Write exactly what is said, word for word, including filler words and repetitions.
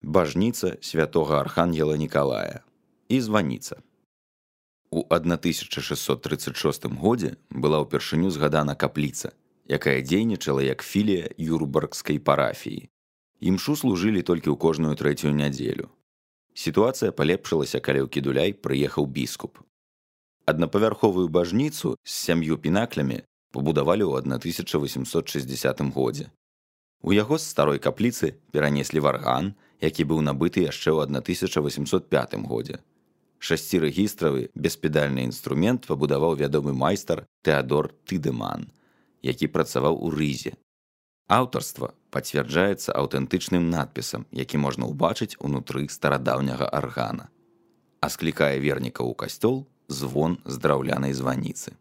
бажніца святога архангела Нікалая і званіца. У тысяча шэсцьсот трыццаць шостым годзе была ўпершыню згадана капліца, якая дзейнічала як філія Юрбаргскай парафіі. Імшу служылі толькі ў кожную трэцюю нядзелю. Сітуацыя палепшылася, калі ў Кідуляй прыехаў біскуп. Аднапавярховую бажніцу з сям'ю пінаклямі пабудавалі ў тысяча васемсот шэсцьдзесятым годзе. У яго з старой капліцы перанеслі варган, які быў набыты яшчэ ў тысяча васемсот пятым годзе. Шасцірэгістравы беспедальны інструмент пабудаваў вядомы майстар Тэадор Тыдэман, які працаваў у Рызе. Аўтарства пацвярджаецца аўтэнтычным надпісам, які можна ўбачыць унутры старадаўняга аргана. А склікае вернікаў у касцёл звон з драўлянай званіцы.